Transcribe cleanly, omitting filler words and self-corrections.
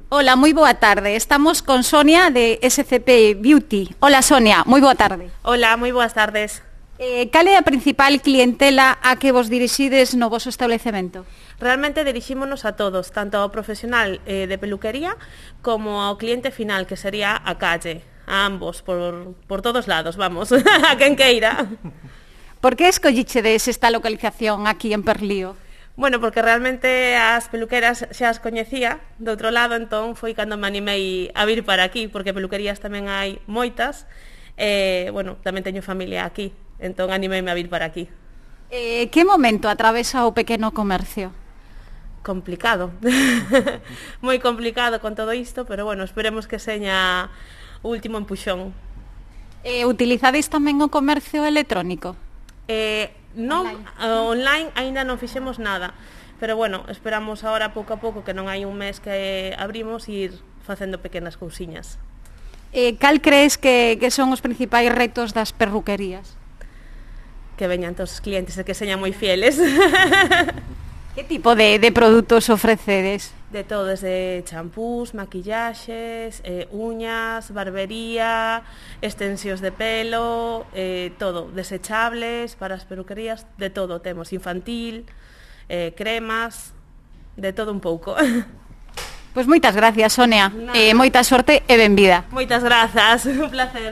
Hola, moi boa tarde. Estamos con Sonia de SCP Beauty. Hola, Sonia, moi boa tarde. Hola, moi boas tardes. Cal é a principal clientela a que vos dirixides no voso establecemento? Realmente dirixímonos a todos, tanto ao profesional de peluquería como ao cliente final, que sería a calle, a ambos, por todos lados, vamos, a quen queira. Por que escollichedes esta localización aquí en Perlío? Bueno, porque realmente as peluqueras xa as coñecía do outro lado, entón foi cando me animei a vir para aquí, porque peluquerías tamén hai moitas, bueno, tamén teño familia aquí, entón animeime a vir para aquí. Que momento atravesa o pequeno comercio? Complicado, moi complicado con todo isto, pero bueno, esperemos que seña o último empuxón. Utilizades tamén o comercio electrónico? Non, online aínda non fixemos nada, pero bueno, esperamos agora pouco a pouco, que non hai un mes que abrimos, ir facendo pequenas cousiñas. Cal crees que son os principais retos das perruquerías? Que veñan todos os clientes e que señan moi fieles. Que tipo de produtos ofrecedes? De todo, desde champús, maquillaxes, uñas, barbería, extensións de pelo, todo, desechables para as peluquerías, de todo temos, infantil, cremas, de todo un pouco. Pois moitas gracias, Sonia, moita sorte e benvida. Moitas grazas, un placer.